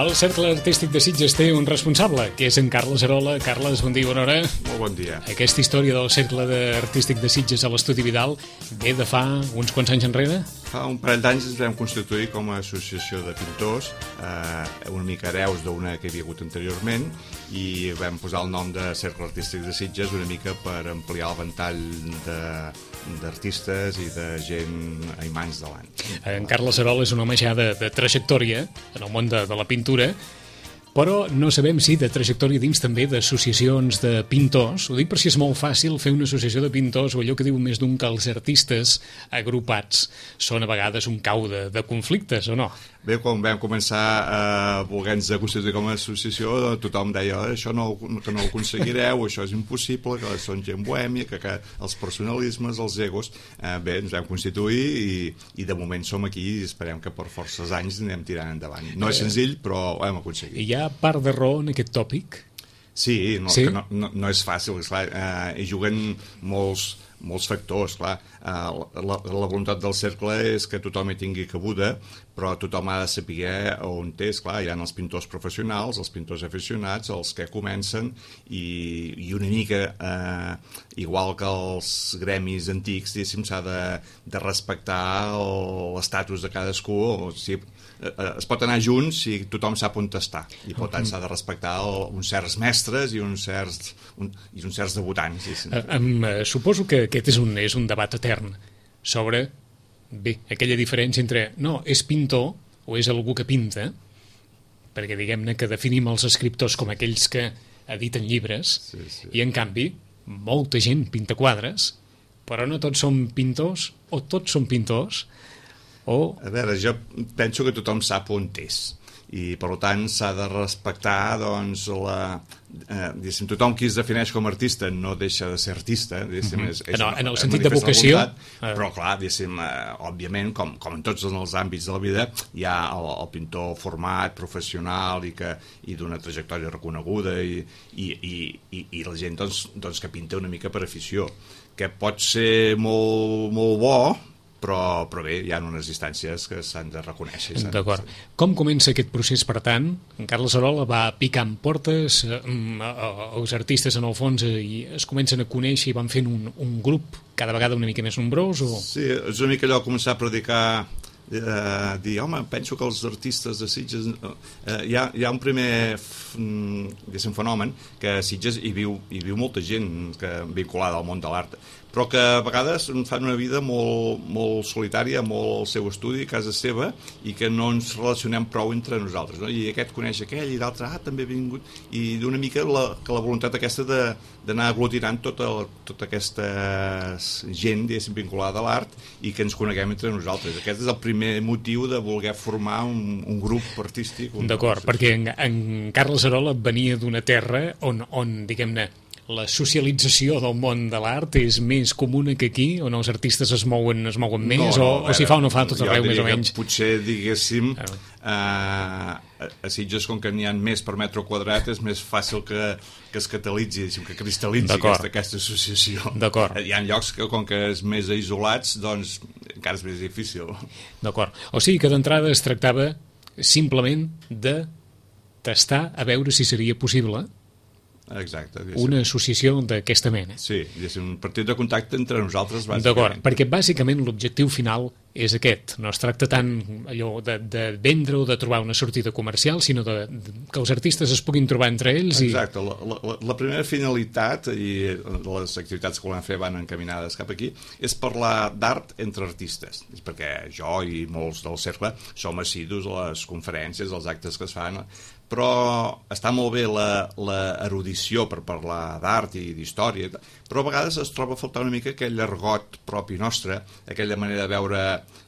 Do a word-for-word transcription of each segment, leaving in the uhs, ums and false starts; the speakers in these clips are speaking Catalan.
El Cercle Artístic de Sitges té un responsable, que és en Carles Arola. Carles, bon dia, bona hora. Molt bon dia. Aquesta història del Cercle Artístic de Sitges a l'Estudi Vidal ve de fa uns quants anys enrere? Fa un parell d'anys ens vam constituir com a associació de pintors, eh, una mica hereus d'una que hi havia hagut anteriorment, i vam posar el nom de Cercle Artístic de Sitges una mica per ampliar el ventall de d'artistes i de gent a imants davant. En Carles Arola és un home ja de, de trajectòria en el món de, de la pintura, però no sabem si de trajectòria dins també d'associacions de pintors. Ho dic per si és molt fàcil fer una associació de pintors, o allò que diu més d'un que els artistes agrupats són a vegades un cau de, de conflictes, o no? Bé, quan vam començar a voler-nos constituir com a associació, tothom deia això no, que no ho aconseguireu, això és impossible, que són gent bohèmia, que, que els personalismes, els egos... Eh, bé, ens vam constituir i, i de moment som aquí i esperem que per forces anys anem tirant endavant. No és senzill, però ho hem aconseguit. Hi ha part de raó en aquest tòpic? Sí, no, sí? Que no, no, no és fàcil, esclar, eh, hi juguen molts, molts factors, clar. Eh, la, la voluntat del cercle és que tothom hi tingui cabuda, però tothom ha de saber on té, esclar, hi ha els pintors professionals, els pintors aficionats, els que comencen, i, i una mica, eh, igual que els gremis antics, diguéssim, s'ha de, de respectar l'estatus de cadascú, o sigui, es pot anar junts si tothom sap on està, i per tant s'ha de respectar el, uns certs mestres i uns certs, un, i uns certs debutants. Sí. Um, suposo que aquest és un, és un debat etern sobre, bé, aquella diferència entre no, és pintor o és algú que pinta, perquè diguem-ne que definim els escriptors com aquells que editen llibres, sí, sí. I en canvi molta gent pinta quadres, però no tots són pintors o tots són pintors. Oh. A veure, jo penso que tothom sap on és, i per tant s'ha de respectar, doncs, la, eh, diguéssim, tothom qui es defineix com a artista no deixa de ser artista, diguéssim, mm-hmm. és, és no, una, en el sentit de vocació, voluntat, però clar, diguéssim, eh, òbviament, com, com en tots els àmbits de la vida, hi ha el, el pintor format, professional i, que, i d'una trajectòria reconeguda, i, i, i, i, i la gent, doncs, doncs, que pinta una mica per afició, que pot ser molt, molt bo, Però, però bé, hi ha unes distàncies que s'han de reconèixer. D'acord. Com comença aquest procés, per tant? En Carles Arola va picant portes, eh, els artistes en el fons eh, i es comencen a conèixer i van fent un, un grup cada vegada una mica més nombrós? O... Sí, és una mica allò començar a predicar, eh, dir, home, penso que els artistes de Sitges... Eh, hi, ha, hi ha un primer diguéssim, fenomen, que a Sitges hi viu, hi viu molta gent que, vinculada al món de l'art, però que a vegades fan una vida molt, molt solitària, molt al seu estudi, a casa seva, i que no ens relacionem prou entre nosaltres, no? I aquest coneix aquell i l'altre, ah, també ha vingut, i d'una mica la, que la voluntat aquesta de, d'anar aglutinant tota, tota aquesta gent, diguéssim, vinculada a l'art, i que ens coneguem entre nosaltres. Aquest és el primer motiu de voler formar un, un grup artístic. Un D'acord, grup, perquè en, en Carles Arola venia d'una terra on, on diguem-ne, la socialització del món de l'art és més comuna que aquí, on els artistes es mouen, es mouen més, no, no, o, o s'hi fa o no fa tot arreu, més o menys? Potser, diguéssim, ah. eh, a Sitges, com que n'hi ha més per metre quadrat, és més fàcil que, que es catalitzi, que cristal·litzi aquesta, aquesta associació. D'acord. Hi ha llocs que, com que és més isolats, doncs encara és més difícil. D'acord. O sigui que d'entrada es tractava simplement de tastar a veure si seria possible Exacte, una associació d'aquesta mena. Sí, és un partit de contacte entre nosaltres, bàsicament. D'acord, perquè bàsicament l'objectiu final és aquest. No es tracta tant allò de, de vendre o de trobar una sortida comercial, sinó de, de, que els artistes es puguin trobar entre ells. Exacte, i... la, la, la primera finalitat, i les activitats que volem fer van encaminades cap aquí, és parlar d'art entre artistes, perquè jo i molts del cercle som assidus a les conferències, als actes que es fan, però està molt bé l'erudició per parlar d'art i d'història, però a vegades es troba a faltar una mica aquell argot propi nostre, aquella manera de veure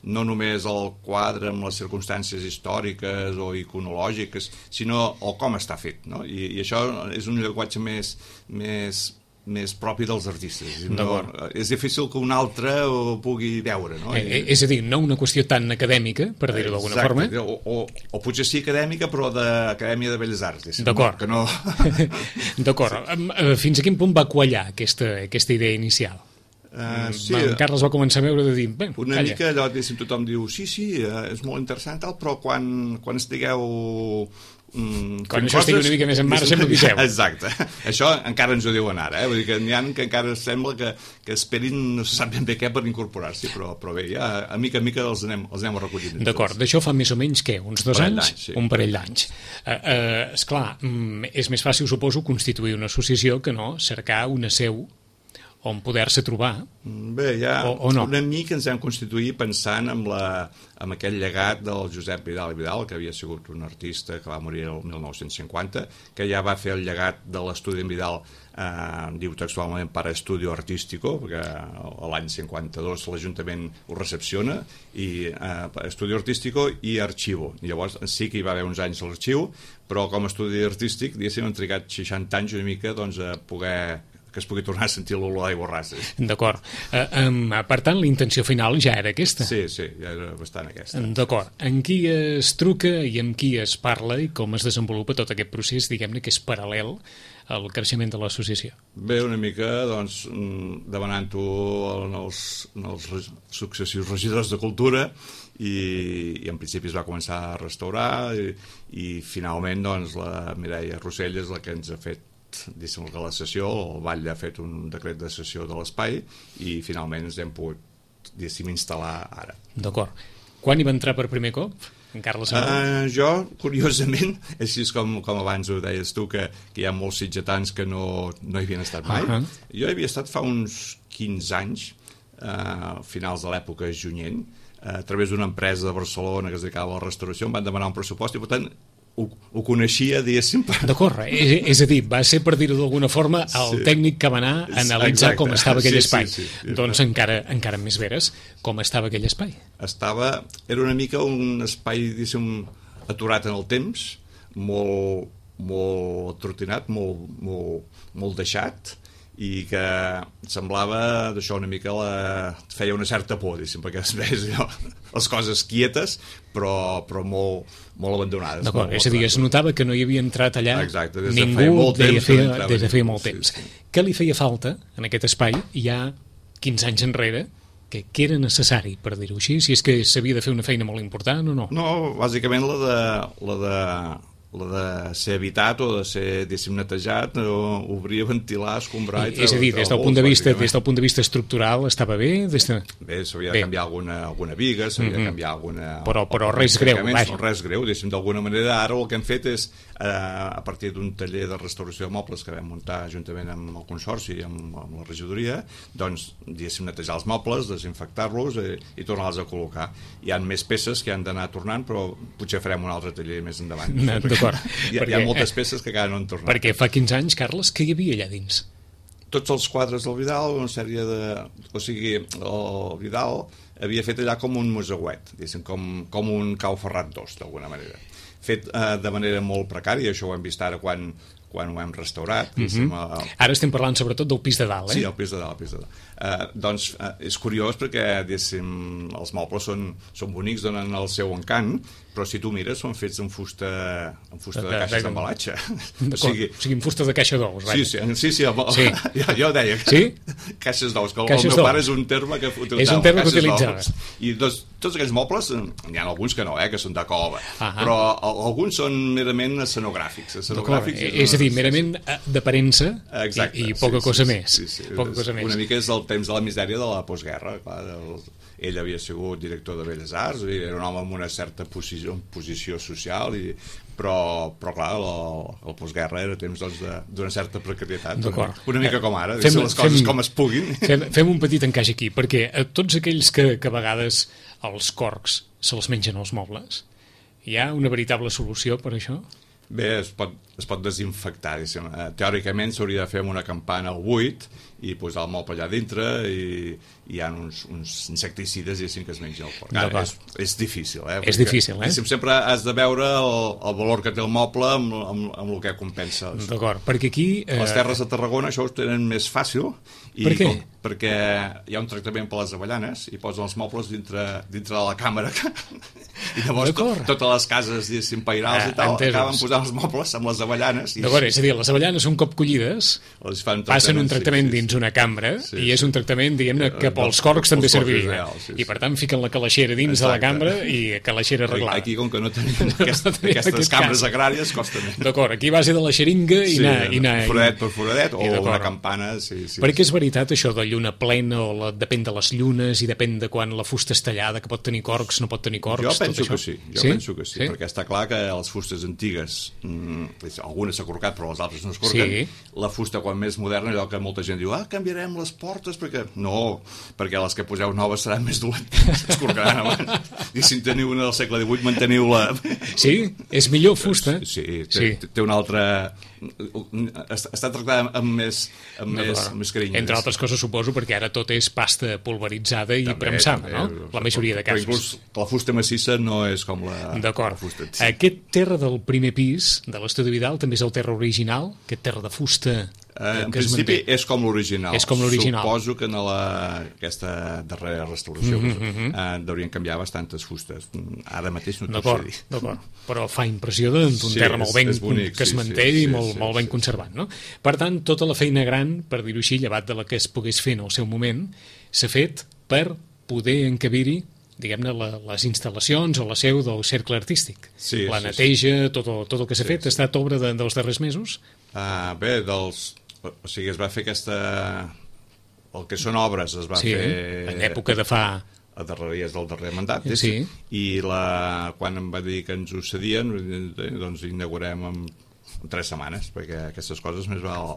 no només el quadre amb les circumstàncies històriques o iconològiques, sinó el com està fet, no? I, i això és un llenguatge més, més, més propi dels artistes. No, és difícil que un altre ho pugui veure, no? Eh, és a dir, no una qüestió tan acadèmica, per dir-ho d'alguna forma. O, o, o potser sí acadèmica, però d'Acadèmia de Belles Arts. D'acord. Que no... D'acord. Fins a quin punt va quallar aquesta, aquesta idea inicial? Uh, sí, en Carles va començar a veure de dir bé, una calla. mica allò, diguéssim, tothom diu sí, sí, és molt interessant tal, però quan, quan estigueu mm, quan això estigui una mica més en marxa m'aviseu. Exacte, això encara ens ho diuen ara, eh? Vull dir que n'hi ha que encara sembla que, que esperin no se sap ben bé què per incorporar-s'hi, però, però bé, ja a mica a mica els anem, els anem recollint. D'acord, d'això fa més o menys què? Uns dos parell anys? Sí. Un parell d'anys. Uh, uh, esclar, mm, és més fàcil, suposo, constituir una associació que no cercar una seu on poder-se trobar. Bé, ja o, o no. Una mica ens hem constituït pensant en, la, en aquell llegat del Josep Vidal i Vidal, que havia sigut un artista que va morir el mil nou-cents cinquanta, que ja va fer el llegat de l'estudi en Vidal, eh, diu textualment para estudio artístico, perquè l'any cinquanta-dos l'Ajuntament ho recepciona, i eh, estudio artístico i arxivo. Llavors sí que hi va haver uns anys l'arxiu, però com a estudi artístic, diguéssim, han trigat seixanta anys una mica doncs, a poder que es pugui tornar a sentir l'olor d'aigua rasa. D'acord. Uh, um, per tant, la intenció final ja era aquesta? Sí, sí, ja era bastant aquesta. D'acord. En qui es truca i amb qui es parla i com es desenvolupa tot aquest procés, diguem-ne, que és paral·lel al creixement de l'associació? Bé, una mica, doncs, demanant-ho als, als successius regidors de Cultura i, i en principi es va començar a restaurar i, i finalment, doncs, la Mireia Rossell és la que ens ha fet diguéssim que la sessió, el Vall ha fet un decret de sessió de l'espai i finalment ens hem pogut diguéssim instal·lar ara. D'acord. Quan hi va entrar per primer cop? En Carles uh, jo, curiosament, així com, com abans ho deies tu, que, que hi ha molts sitgetans que no, no hi havien estat mai. Uh -huh. Jo hi havia estat fa uns quinze anys, uh, finals de l'època junyent, uh, a través d'una empresa de Barcelona que es dedicava a la restauració, em van demanar un pressupost i per tant Ho, ho coneixia, diguéssim. D'acord, és, és a dir, va ser, per dir-ho d'alguna forma, el sí. tècnic que va anar a analitzar Exacte. com estava aquell sí, espai. Sí, sí, sí. Doncs encara, encara més veres, com estava aquell espai. Estava, era una mica un espai, diguéssim, aturat en el temps, molt, molt trotinat, molt, molt, molt deixat, i que semblava d'això una mica la... feia una certa por, diguéssim, perquè es veia allò, les coses quietes però, però molt, molt abandonades. D'acord, és a dir, es notava que no hi havia entrat allà Exacte, des de ningú feia molt temps, feia, des de feia molt sí, temps. Sí. Què li feia falta en aquest espai ja quinze anys enrere que, que era necessari, per dir-ho així, si és que s'havia de fer una feina molt important o no? No, bàsicament la de... La de la de ser habitat o de ser, diguéssim, netejat, o obrir, ventilar, escombrar... I és a dir, des del, punt de vista, des del punt de vista estructural estava bé? Des de... Bé, s'havia de canviar alguna, alguna viga, s'havia mm -hmm. de canviar alguna... Però, però res greu, vaja. Res greu, diguéssim, d'alguna manera. Ara el que hem fet és, eh, a partir d'un taller de restauració de mobles que vam muntar juntament amb el Consorci i amb, amb la regidoria, doncs, diguéssim, netejar els mobles, desinfectar-los i, i tornar-los a col·locar. Hi ha més peces que han d'anar tornant, però potser farem un altre taller més endavant. No, d'acord. Hi, perquè, hi ha moltes peces que encara no han tornat. Perquè fa quinze anys, Carles, què hi havia allà dins? Tots els quadres del Vidal, una sèrie de... O sigui, el Vidal havia fet allà com un museuet, com, com un Cau Ferrat dos, d'alguna manera. Fet eh, de manera molt precària, això ho hem vist ara quan, quan ho hem restaurat. Mm -hmm. el... Ara estem parlant sobretot del pis de dalt, eh? Sí, el pis de dalt, el pis de dalt. Uh, doncs uh, és curiós perquè, diguéssim, els mobles són, són bonics, donen el seu encant, però si tu mires són fets en fusta, en fusta de, de, de caixes d'embalatge. O sigui, o sigui, en fusta de caixa d'ous. Sí, sí, sí, sí, el, sí. Jo, jo deia que sí? caixes d'ous, que el, caixes el meu pare és un terme que utilitzava. És un terme que utilitzava. I dos, tots aquells mobles, n'hi ha alguns que no, eh, que són de cova, ah però alguns són merament escenogràfics. escenogràfics és, és a dir, merament d'aparença i, i poca sí, cosa sí, més. Sí, sí, poca cosa més. Una mica és el temps de la misèria de la postguerra, clar, el, ell havia sigut director de Belles Arts, i era un home amb una certa posició, posició social, i, però, però clar, el, el postguerra era temps doncs, d'una certa precarietat, una, una mica com ara, fem, les coses fem, com es puguin. Fem, fem un petit encaix aquí, perquè a tots aquells que, que a vegades els corcs se'ls mengen els mobles, hi ha una veritable solució per això? Bé, es pot, es pot desinfectar, diguéssim. Teòricament s'hauria de fer amb una campana al buit i posar el moble allà dintre i hi ha uns, uns insecticides i així que es menja el porc. Ara, és, és difícil, eh? És difícil, eh? Sempre has de veure el, el valor que té el moble amb, amb, amb el que compensa. D'acord, perquè aquí... Eh... Les terres de Tarragona això ho tenen més fàcil. I per què? Com, perquè hi ha un tractament per les avellanes i posen els mobles dintre, dintre de la càmera i llavors to, totes les cases diguéssim pairals ah, i tal entesos. Acaben posant els mobles amb les avellanes i... D'acord, és a dir, les avellanes un cop collides passen un tractament sí, sí, dins una cambra sí, sí, i és un tractament, diguem-ne, que pels corcs també serviria reals, sí, sí. I per tant fiquen la calaixera dins Exacte. De la cambra i calaixera arreglada. Aquí com que no tenim aquest, no tenim aquestes aquest cambres cas. Agràries costa més. D'acord, aquí a base de la xeringa i sí, anar... I anar foradet per foradet o una campana sí, sí, perquè és veritat això de lluna plena o la, depèn de les llunes i depèn de quan la fusta és tallada, que pot tenir corcs, no pot tenir corcs. Jo penso que sí, jo sí? penso que sí, sí, perquè està clar que les fustes antigues, mmm, algunes s'ha corcat però les altres no es corquen, sí. La fusta quan més moderna, allò que molta gent diu, ah, canviarem les portes, perquè... No, perquè les que poseu noves seran més dolentes, es corcaran abans. I si en teniu una del segle divuit, manteniu-la... Sí? És millor fusta? Sí, té, sí. té una altra... Està tractada amb més, amb no, més, més carinyo. Entre altres coses, suposo, perquè ara tot és pasta pulveritzada i també, premsada, també, no? La majoria de casos. Inclús la fusta massissa no és com la, la fusta. Sí. Aquest terra del primer pis de l'Estudi Vidal també és el terra original? Aquest terra de fusta... Uh, en principi és com l'original. És com l'original. Suposo que en la, aquesta darrera restauració mm -hmm. uh, deurien canviar bastantes fustes. Ara mateix no t'ho sé dir. D'acord, però fa impressió d'un sí, terra molt ben bonic, que es manté sí, sí, i molt, sí, molt ben sí, conservat. No? Per tant, tota la feina gran, per dir-ho així, llevat de la que es pogués fer en el seu moment, s'ha fet per poder encabir-hi diguem-ne, les instal·lacions o la seu del cercle artístic. Sí, la sí, neteja, sí. Tot, tot el que s'ha sí, fet, sí. Ha estat obra de, dels darrers mesos? Uh, bé, dels... O sigui, es va fer aquesta... El que són obres es va sí, fer... en època de fa... a darreries del darrer mandat, sí. I la... quan em va dir que ens ho cedien, doncs inaugurem en, en tres setmanes, perquè aquestes coses més val...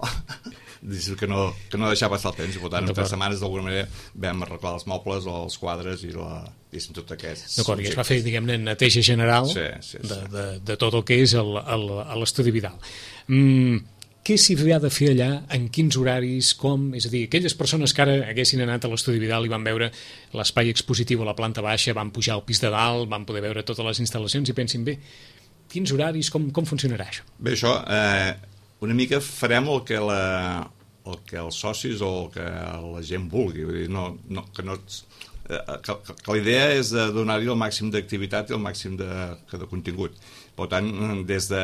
que no, que no deixar passar el temps, i per tant, en tres setmanes d'alguna manera vam arreglar els mobles o els quadres i la... i tot aquests... D'acord, i es va fer, diguem-ne, neteja general sí, sí, sí. De, de, de tot el que és l'Estudi Vidal. Mm, què s'hi ha de fer allà, en quins horaris, com... És a dir, aquelles persones que ara haguessin anat a l'Estudi Vidal i van veure l'espai expositiu a la planta baixa, van pujar al pis de dalt, van poder veure totes les instal·lacions i pensin, bé, quins horaris, com, com funcionarà això? Bé, això, eh, una mica farem el que, la, el que els socis o el que la gent vulgui, vull dir, no, no, que no... Eh, que, que la idea és de donar-hi el màxim d'activitat i el màxim de, de contingut. Per tant, des de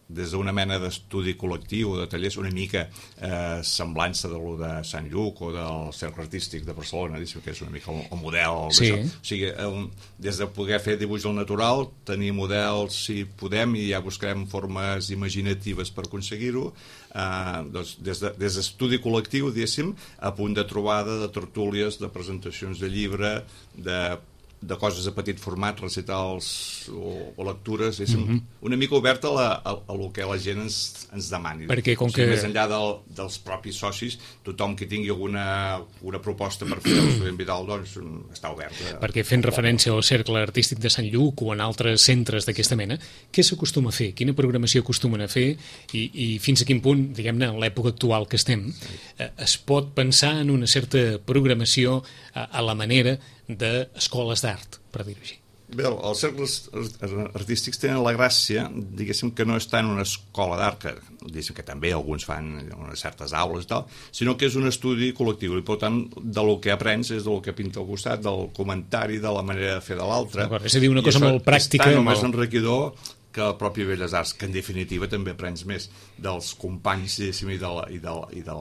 des d'una mena d'estudi col·lectiu o de tallers una mica eh, semblança de lo de Sant Lluc o del Cercle Artístic de Barcelona, que és una mica el, el model sí. d'això. O sigui, un, des de poder fer dibuix al natural, tenir models si podem i ja buscarem formes imaginatives per aconseguir-ho, eh, doncs des d'estudi de, col·lectiu, diguéssim, a punt de trobada, de tertúlies, de presentacions de llibre, de de coses de petit format, recitals o, o lectures, és mm-hmm. una mica oberta a, la, a, a lo que la gent ens, ens demani. Perquè com o sigui, que... més enllà del, dels propis socis, tothom que tingui alguna una proposta per fer l'Estudi Vidal, doncs està oberta. Perquè fent referència al Cercle Artístic de Sant Lluc o en altres centres d'aquesta mena, què s'acostuma a fer? Quina programació acostumen a fer? I, i fins a quin punt, diguem-ne, en l'època actual que estem, eh, es pot pensar en una certa programació a, a la manera d'escoles d'art, per dir-ho així? Bé, els cercles artístics tenen la gràcia, diguéssim, que no està en una escola d'art, que diguéssim que també alguns fan unes certes aules i tal, sinó que és un estudi col·lectiu, i per tant, del que aprens és del que pinta al costat, del comentari, de la manera de fer de l'altre. És a dir, una cosa molt pràctica. És tan o més enriquidor que el propi Belles Arts, que en definitiva també aprens més dels companys, diguéssim, i de la, i de, i de,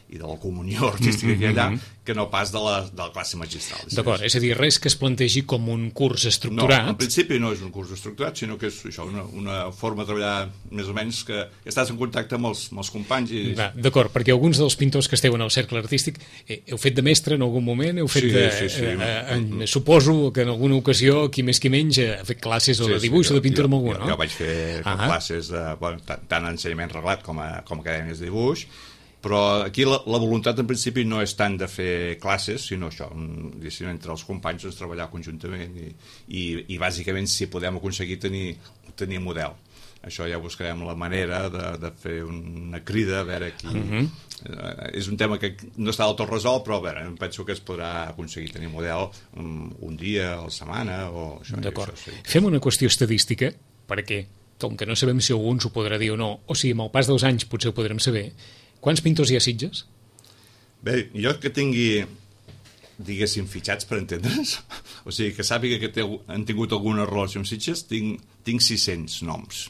i de la comunió artística que hi ha allà, que no pas de la, de la classe magistral. D'acord, és a dir, res que es plantegi com un curs estructurat. No, en principi no és un curs estructurat, sinó que és això, una, una forma de treballar més o menys que estàs en contacte amb els, amb els companys. I... D'acord, perquè alguns dels pintors que esteu en el Cercle Artístic eh, heu fet de mestre en algun moment? Heu fet sí, de, sí, sí. Eh, eh, suposo que en alguna ocasió, qui més qui menys, ha fet classes o de dibuix sí, sí, o de pintura jo, amb algú, jo, no? Jo vaig fer ah classes, de, bueno, tant, tant ensenyament reglat com a, com a acadèmies de dibuix, però aquí la, la voluntat en principi no és tant de fer classes, sinó això, sinó entre els companys doncs, treballar conjuntament i, i, i bàsicament si podem aconseguir tenir, tenir model. això ja buscarem la manera de, de fer una crida, a veure qui... Uh-huh. eh, és un tema que no està del tot resolt, però a veure, penso que es podrà aconseguir tenir model un, un dia a la setmana o això. D'acord. Això, sí. Fem una qüestió estadística, perquè, com que no sabem si algú ens ho podrà dir o no, o sigui, amb el pas dels anys potser ho podrem saber, quants pintors hi ha a Sitges? Bé, jo que tingui, diguéssim, fitxats per entendre's, o sigui, que sàpiga que té, han tingut alguna relació amb Sitges, tinc, tinc sis-cents noms.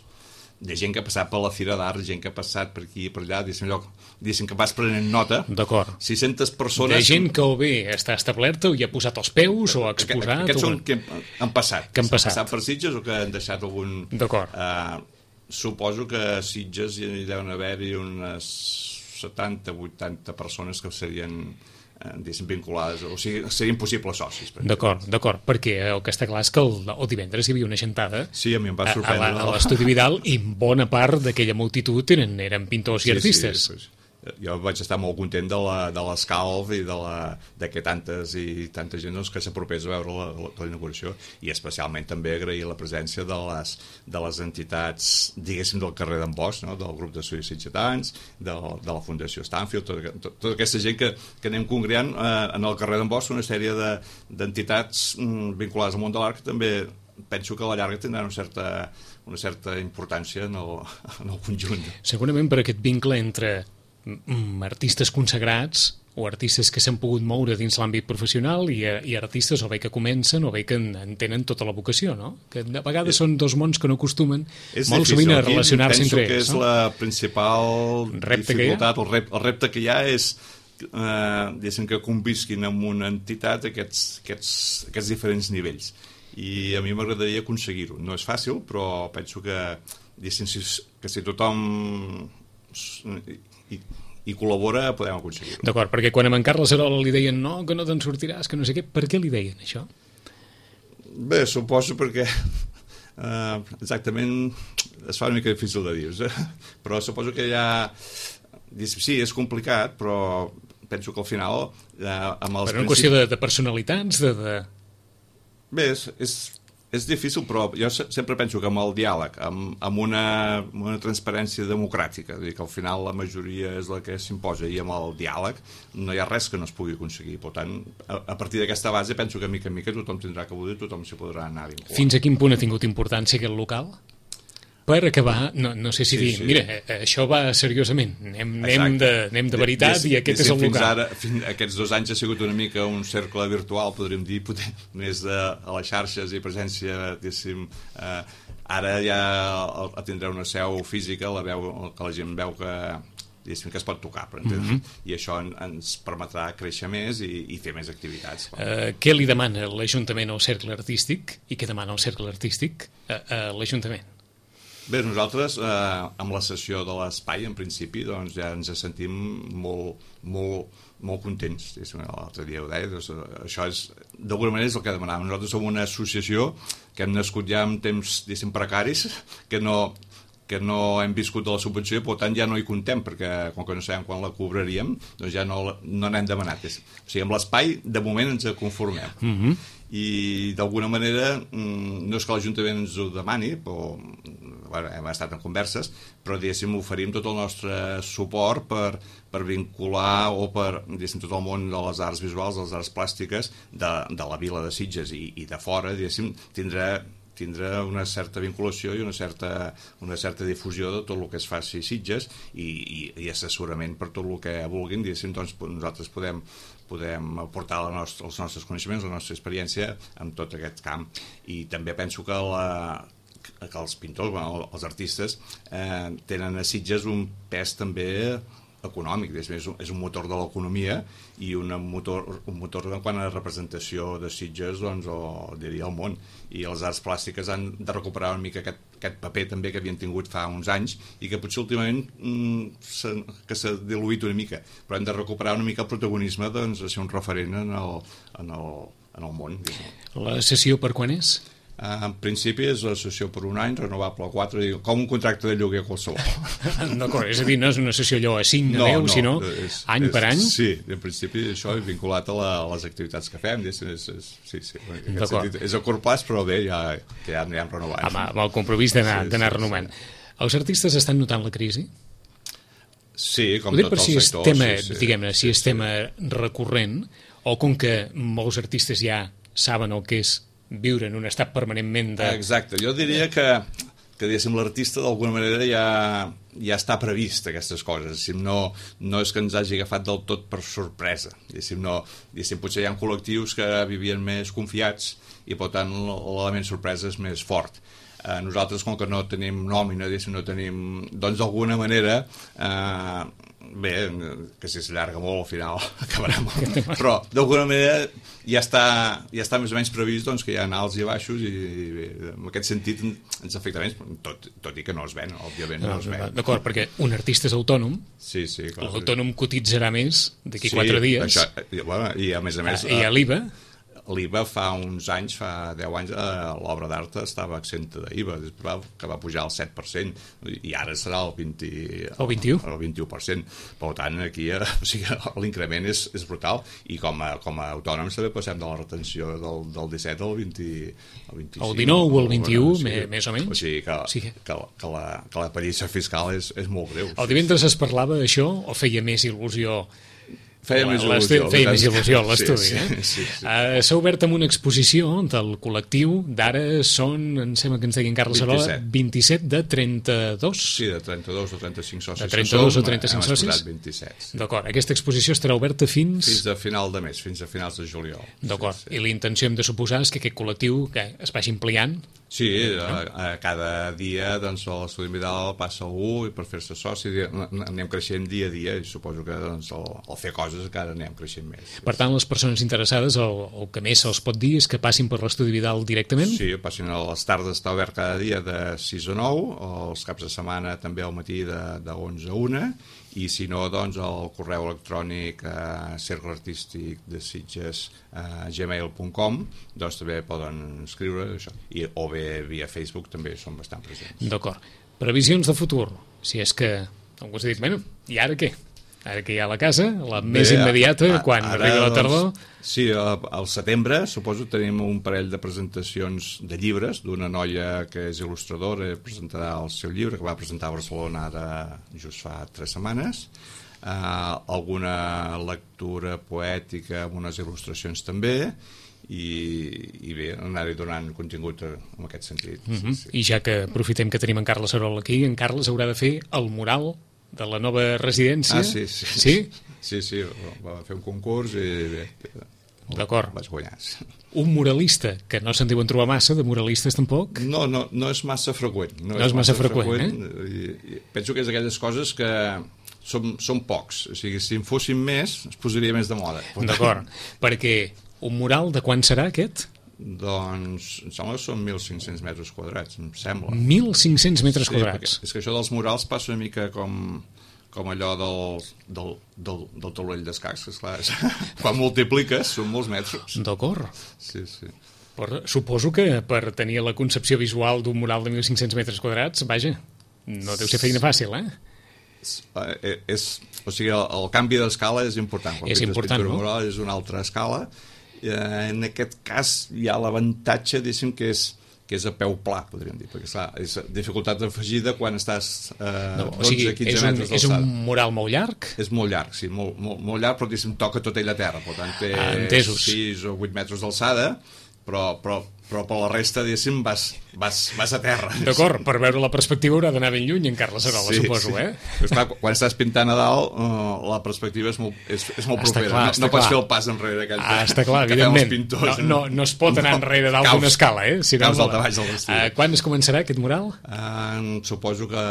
De gent que ha passat per la Fira d'Art, gent que ha passat per aquí i per allà, diguéssim, lloc, diguéssim que vas prenent nota. D'acord. sis-centes persones... De gent que o bé està establerta o hi ha posat els peus o ha exposat... Aquests o... són que han passat. Que han passat. passat per Sitges o que han deixat algun... D'acord. Uh, suposo que a Sitges hi deuen haver-hi unes setanta vuitanta persones que serien... diguéssim, vinculades, o sigui, serien possibles socis. D'acord, d'acord, perquè el que està clar és que el, el divendres hi havia una xantada sí, a mi em va sorprendre, a, a l'Estudi Vidal i bona part d'aquella multitud eren, eren pintors sí, i artistes. Sí, pues, jo vaig estar molt content de la, de l'escalf i de, la, de que tantes i tanta gent doncs, que s'apropés a veure la, la, la inauguració, i especialment també agrair la presència de les, de les entitats, diguéssim, del carrer d'en Bosch, no? Del grup d'estudis sitgetans, de, de la Fundació Stanfield, tota, tota, tota aquesta gent que, que anem congreant eh, en el carrer d'en Bosch, una sèrie de, d'entitats mm, vinculades al món de l'art que també penso que a la llarga tindran una certa, una certa importància en el, en el conjunt. Segurament per aquest vincle entre mm, artistes consagrats o artistes que s'han pogut moure dins l'àmbit professional i, i artistes o bé que comencen o bé que en, en tenen tota la vocació, no? Que de vegades és, són dos mons que no acostumen molt difícil, sovint a relacionar-se entre ells. Penso que és no? la principal repte dificultat, el repte, el repte que hi ha és eh, que convisquin amb una entitat aquests, aquests, aquests diferents nivells. I a mi m'agradaria aconseguir-ho. No és fàcil, però penso que, si, que si tothom hi, hi col·labora podem aconseguir-ho. D'acord, perquè quan a en Carles Arola li deien no, que no te'n sortiràs, que no sé què, per què li deien això? Bé, suposo perquè eh, exactament es fa una mica difícil de dir, eh? Però suposo que ja sí, és complicat, però penso que al final eh, amb els per una principis... qüestió de, de personalitats, de... de... Bé, és, és, és difícil, però jo sempre penso que amb el diàleg, amb, amb, una, amb una transparència democràtica, és dir, que al final la majoria és la que s'imposa, i amb el diàleg no hi ha res que no es pugui aconseguir. Per tant, a, a partir d'aquesta base penso que mica en mica tothom tindrà que voler, tothom s'hi podrà anar vinculant. Fins a quin punt ha tingut importància aquest local? Per acabar, no, no sé si sí, dir, sí. Mira, això va seriosament, anem, anem, de, anem de veritat i, i aquest és el local. Fins ara, fins, aquests dos anys ha sigut una mica un cercle virtual, podríem dir, poder, més de, a les xarxes i presència, diguéssim, eh, ara ja el, el tindrà una seu física, la veu, que la gent veu que, diguéssim, que es pot tocar, per entendre? Mm-hmm. I això en, ens permetrà créixer més i, i fer més activitats. Uh, què li demana l'Ajuntament al Cercle Artístic i què demana el Cercle Artístic a, a l'Ajuntament? Bé, nosaltres, eh, amb la sessió de l'espai, en principi, doncs ja ens sentim molt, molt, molt contents. L'altre dia ho deia, doncs, això és, d'alguna manera és el que demanàvem. Nosaltres som una associació que hem nascut ja en temps, diguéssim, precaris, que no, que no hem viscut de la subvenció i, per tant, ja no hi contem, perquè com que no sabem quan la cobraríem, doncs ja no, no n'hem demanat. O sigui, amb l'espai, de moment, ens conformem. Mm-hmm. I d'alguna manera no és que l'Ajuntament ens ho demani, però bueno, hem estat en converses, però diguéssim oferim tot el nostre suport per, per vincular o per diguéssim tot el món de les arts visuals, de les arts plàstiques de, de la vila de Sitges i, i de fora, diguéssim, tindrà tindrà una certa vinculació i una certa, una certa difusió de tot el que es faci a Sitges i, i, i assessorament per tot el que vulguin, diguéssim, doncs nosaltres podem, podem aportar la nostra, els nostres coneixements, la nostra experiència en tot aquest camp. I també penso que, la, que els pintors, bueno, els artistes, eh, tenen a Sitges un pes també econòmic, és un, és un motor de l'economia i una motor, un motor en quant a representació de Sitges, doncs, o diria el món, i les arts plàstiques han de recuperar una mica aquest, aquest paper també que havien tingut fa uns anys i que potser últimament mm, que s'ha diluït una mica, però hem de recuperar una mica el protagonisme, doncs, de ser un referent en el, en el, en el món. La sessió per quan és? En principi és l'associació per un any, renovable a quatre, com un contracte de lloguer qualsevol. D'acord, és a dir, no és una sessió allò a cinc, a no, deu, no, sinó és, any és, per any? Sí, en principi això és vinculat a, la, a les activitats que fem. És, és, és, sí, sí, en aquest sentit, és a curt plaç, però bé, ja, que ja anirem renovant. Amb, amb el compromís d'anar sí, sí, renovant. Sí. Els artistes estan notant la crisi? Sí, com tot el si sector. Tema, sí, sí, diguem-ne, sí, si és sí. tema recurrent, o com que molts artistes ja saben el que és viure en un estat permanentment de... Exacte, jo diria que, que diguéssim, l'artista d'alguna manera ja, ja està previst aquestes coses, diguéssim, no, no és que ens hagi agafat del tot per sorpresa, diguéssim, no, diguéssim, potser hi ha col·lectius que vivien més confiats i per tant l'element sorpresa és més fort. Eh, nosaltres, com que no tenim nòmina, diguéssim, no tenim, doncs d'alguna manera eh, bé, que si s'allarga molt al final acabarà molt, però d'alguna manera ja està, ja està més o menys previst doncs, que hi ha alts i baixos i, i bé, en aquest sentit ens afecta menys, tot, tot i que no es ven, òbviament no, no es ven. D'acord, perquè un artista és autònom, sí, sí, clar, l'autònom cotitzarà més d'aquí sí, quatre dies això, i, bueno, i a més a més i a l'I V A l'I V A fa uns anys, fa deu anys, eh, l'obra d'art estava exenta d'I V A, que va pujar al set per cent, i ara serà el vint, el vint-i-u el vint-i-u per cent. Per tant, aquí eh, o sigui, l'increment és, és brutal, i com a, com a autònoms també passem de la retenció del, del disset al vint, al vint-i-cinc. El dinou o el vint-i-u, o sigui, més o menys. O sigui que, sí. que, que, la, que la pallissa fiscal és, és molt greu. El divendres es parlava d'això o feia més il·lusió? Feia més il·lusió. Feia més il·lusió a l'estudi, sí, eh? Sí, sí. Uh, S'ha obert amb una exposició del col·lectiu, d'ara són, em sembla que ens deien Carles Arola, vint-i-set de trenta-dos. Sí, de trenta-dos o trenta-cinc socis. De trenta-dos o trenta-cinc socis. socis? vint-i-set. Sí. D'acord, aquesta exposició estarà oberta fins... Fins a final de mes, fins a finals de juliol. D'acord, sí, sí. I la intenció hem de suposar és que aquest col·lectiu que es vagi ampliant. Sí, a, a cada dia doncs, l'estudi Vidal passa algú i per fer-se soci anem creixent dia a dia i suposo que doncs, al, al fer coses encara anem creixent més. Per tant, les persones interessades el, el que més se'ls pot dir és que passin per l'estudi Vidal directament? Sí, passin a les tardes, està obert cada dia de sis a nou, els caps de setmana també al matí de, de onze a una, i si no, doncs el correu electrònic a cercle artístic de Sitges a gmail punt com, doncs també poden escriure això, i, o bé via Facebook també són bastant presents. D'acord. Previsions de futur, si és que algú s'ha dit, bueno, i ara què? Ara que hi ha a la casa, la bé, més immediata, a, a, quan ara, arriba la tardor... Doncs, sí, al setembre, suposo, tenim un parell de presentacions de llibres d'una noia que és il·lustradora, presentarà el seu llibre, que va presentar a Barcelona ara just fa tres setmanes, uh, alguna lectura poètica amb unes il·lustracions també, i, i bé, anar-hi donant contingut en aquest sentit. Mm-hmm. Sí, sí. I ja que aprofitem que tenim en Carles Arola aquí, en Carles haurà de fer el mural de la nova residència. Ah, sí, sí. Sí? Sí, sí, va fer un concurs i bé, d'acord. Vaig guanyar. Un muralista, que no se'n diuen trobar massa, de muralistes tampoc? No, no, no és massa freqüent. No, no és, és massa, massa freqüent, freqüent, eh? I, i penso que és d'aquelles coses que són, són pocs. O sigui, si en fossin més, es posaria més de moda. D'acord, perquè un mural de quan serà aquest? Doncs, em sembla que són mil cinc-cents metres quadrats, em sembla. mil cinc-cents metres sí, quadrats? És que això dels murals passa una mica com, com allò del, del, del, del taulell d'escacs, que esclar, és, quan multipliques són molts metres. D'acord. Sí, sí. Però suposo que per tenir la concepció visual d'un mural de mil cinc-cents metres quadrats, vaja, no deu ser feina fàcil, eh? És, és, o sigui, el, el canvi d'escala és important. Quan és important, no? Mural és una altra escala. En aquest cas hi ha l'avantatge, diguéssim, que és, que és a peu pla, podríem dir, perquè clar, és dificultat afegida quan estàs eh, no, o sigui, dotze a quinze és un, metres d'alçada. És un mural molt llarg? És molt llarg, sí, molt, molt, molt llarg, però diguéssim, toca tot ell a terra, per tant té ah, sis o vuit metres d'alçada, però, però, però per la resta, diguéssim, vas, vas, vas a terra. D'acord, per veure la perspectiva haurà d'anar ben lluny en Carles Arola, sí, suposo, sí. eh? Però, clar, quan estàs pintant a dalt, uh, la perspectiva és molt, és, és molt està propera. Clar, no no pots fer el pas enrere aquell ah, està clar, que evidentment. fem els pintors. No, no, no es pot anar no, enrere dalt d'una escala, eh? Si caus no, al baix del vestit. Uh, quan es començarà aquest mural? Uh, suposo que,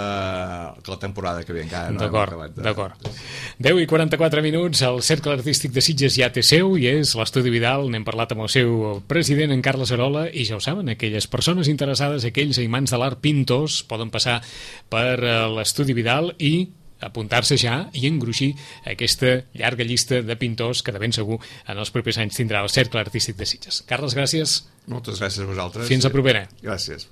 que la temporada que ve encara no d'acord, hem acabat. De... D'acord. deu i quaranta-quatre minuts, el Cercle Artístic de Sitges ja té seu i és l'Estudi Vidal. N'hem parlat amb el seu president, en Carles Arola, i ja ho saben, aquelles persones interessades, aquells imants de l'art pintors, poden passar per l'Estudi Vidal i apuntar-se ja i engruixir aquesta llarga llista de pintors que de ben segur en els propers anys tindrà el Cercle Artístic de Sitges. Carles, gràcies. Moltes gràcies a vosaltres. Fins a propera. Gràcies.